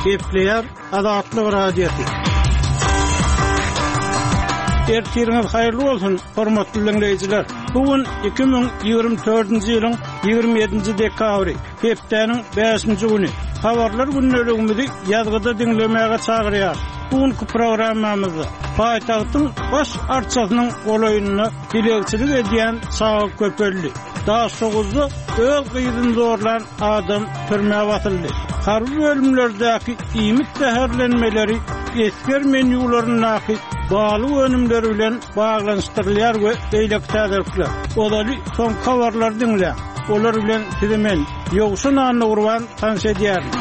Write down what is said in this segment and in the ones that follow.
Gepleýär Azatlyk Radiosy. Ertiriňiz haýyrly bolsun, hormatly diňleýjiler! Bu gün 2024-nji ýylyň 27-nji dekabry, hepdäniň bäşinji güni. Habarlar gündeligimizi ýazgyda diňlemäge çagyrýarys. Bu günki programmamyzda paýtagtyň baş arçasynyň golaýynda dilegçilik edýän çaga köpeldi. Daşoguzda öz gyzyny zorlan adam türmä basyldy. Harby bölümlerdäki iýmit zäherlenmeleri esger menýularyndaky balyk önümleri bilen baglanyşdyrylýar we beýleki täzelikler. Ozaly soňky habarlary diňläň. Olar bilen sizi men, Ýowşan Annagurban tanyş edýärin.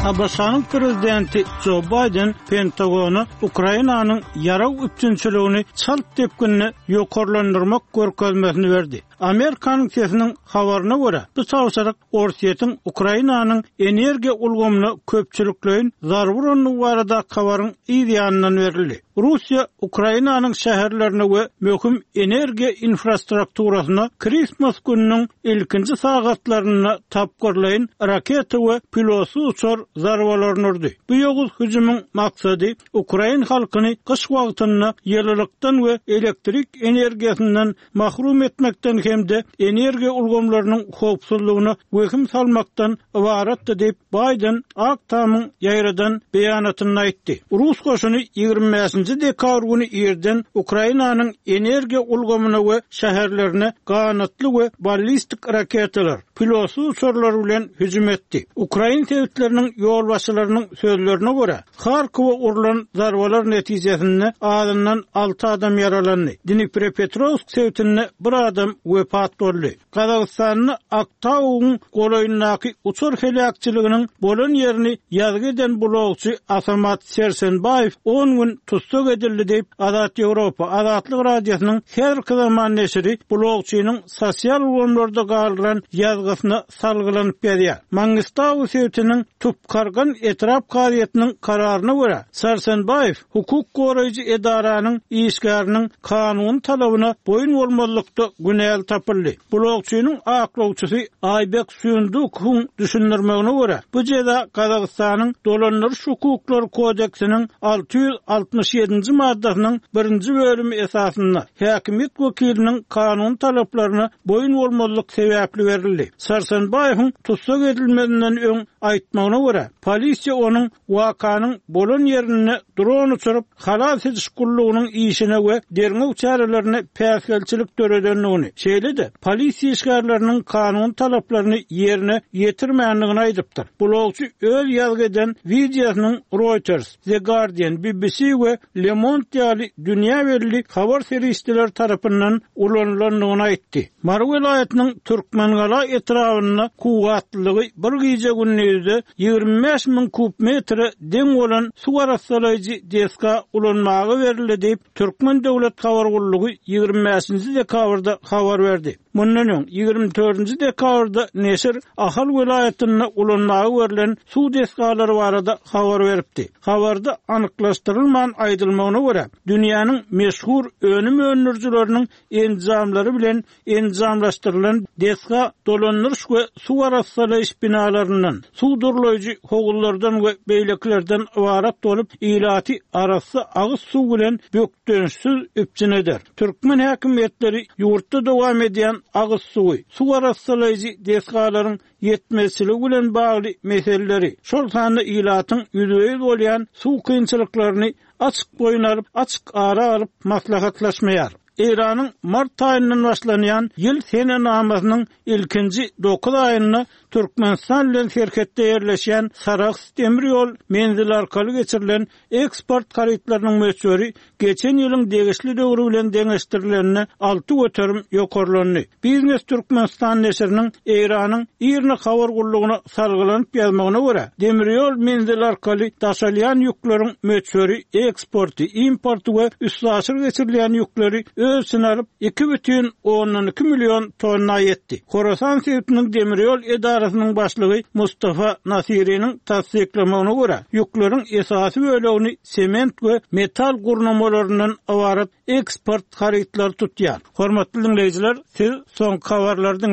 ABŞ-nyň prezidenti Jo Baýden Pentagona Ukrainanyň ýarag üpjünçiligini çalt depginde ýokarlandyrmak görkezmesini berdi. Amerikanyň sesiniň habaryna görä, bu tabşyryk Orsýetiň Ukrainanyň energiýa ulgamyna köpçülikleýin zarba urandygy baradaky habaryň yz ýanyndan berildi. Russiýa Ukrainanyň şäherlerine we möhüm energiýa infrastrukturasyna Kristmas gününiň ilkinji sagatlarynda tapgyrlaýyn raketa we pilotsyz uçar zarbalaryny urdy. Bu ýowuz hüjümiň maksady ukrain halkyny gyş wagtynda ýylylykdan we elektrik energiýasyndan mahrum etmekden hem-de energiýa ulgamlarynyň howpsuzlygyna wehim salmakdan ybaratdy diýip, Baýden Ak Tamyň ýaýradan beýanatynda aýtdy. Rus goşuny 25-nji dekabr güni irden Ukrainanyň energiýa ulgamyna we şäherlerine ganatly we ballistik raketalar, pilotsyz uçarlar bilen hüjüm etdi. Ukrain sebitleriniň ýolbaşçylarynyň sözlerine görä, Harkowa urlan zarbalar netijesinde azyndan alty adam ýaralandy. Dniprepetrowsk sebitinde bir adam wepat boldy. Gazagystanda Aktaugyň golaýyndaky uçar heläkçiliginiň bolan ýerini ýazgy eden blogçy Asamat Sersenbaýew on gün tussag edildi diýip, Azat Ýewropa, Azatlyk Radiosynyň häzirki zaman neşiri blogçynyň sosial ulgamlarda galdyran ýazgysyna salgylanyp ýazýar. Mangistau sebitiniň Tupkargan etrap kazyýetiniň kararyna görä, Sarsenbaýew hukuk goraýjy edaranyň işgäriniň kanuny talabyna boýun bolmazlykda günäli tapyldy. Blogçynyň aklawçysy Aýbek Suýundukowyň düşündirmegine görä, bu jeza Gazagystanyň Dolandyryş hukuklary kodeksiniň 667-nji maddasynyň birinji bölümi esasynda, häkimiýet wekiliniň kanuny talaplaryna boýun bolmazlyk sebäpli berildi. Sarsenbaýewiň tussag edilmezinden öň aýtmagyna görä, polisiýa onuň wakanyň bolan ýerinde dron uçuryp, halas ediş gullugynyň işine we derňew çärelerine päsgelçilik döredendigini, şeýle-de polisiýa işgärleriniň kanuny talaplaryny ýerine ýetirmändigini aýdypdyr. Blogçy öz ýazgy eden wideosynyň Reuters, The Guardian, BBC we Le Monde ýaly dünýä belli habar serişdeleri tarapyndan ulanylandygyny aýtdy. Mary welaýatynyň Türkmengala etrabynda kuwwatlylygy bir gije-gündizde 25 müň kub metre deň bolan suw arassalaýjy desga ulanmaga berildi diýip, Türkmen döwlet habar gullugy 25-nji dekabrda habar berdi. Mundan öň, 24-nji dekabrda neşir Ahal welaýatynda ulanmaga berlen suw desgalary barada habar beripdi. Habarda anyklaşdyrylman aýdylmagyna görä, dünýäniň meşhur önüm öndürijileriniň enjamlary bilen enjamlaşdyrylan desga dolandyryş we suw arassalaýyş binalaryndan, suw durlaýjy howuzlardan we beýlekilerden ybarat bolup, ilaty arassa agyz suw bilen bökdençsiz üpjün eder. Türkmen häkimiýetleri ýurtda dowam edýän agyz suwy, suw arassalaýjy desgalaryň ýetmezçiligi bilen bagly meseleleri, şol sanda ilatyň ýüzbe-ýüz bolýan suw kynçylyklaryny açyk boýun alyp, açyk ara alyp maslahatlaşmaýar. Eýranyň mart aýyndan başlanýan ýyl senenamasynyň ilkinji dokuz aýynda Türkmenistan bilen serhetde ýerleşýän Sarahs demir ýol menzili arkaly geçirilen Eksport harytlarynyň möçberi geçen ýylyň degişli döwri bilen deňeşdirilende 6% ýokarlandy. Biznes Türkmenistan neşiriniň Eýranyň IRNA habar gullugyna salgylanyp ýazmagyna görä, demir ýol menzili arkaly daşalýan ýükleriň möçberi eksporty, importy we üstaşyr geçirilýän ýükleri öz içine alyp, 2,2 million tonna ýetdi. Horasan sebitiniň demir ýol edarasynyň başlygy Mustafa Nasiriniň tassyklamagyna görä, ýükleriň esasy bölegini sement we metal gurnamalaryndan ybarat eksport harytlary tutýar. Hormatly diňleýjiler, siz soňky habarlary diňlediňiz.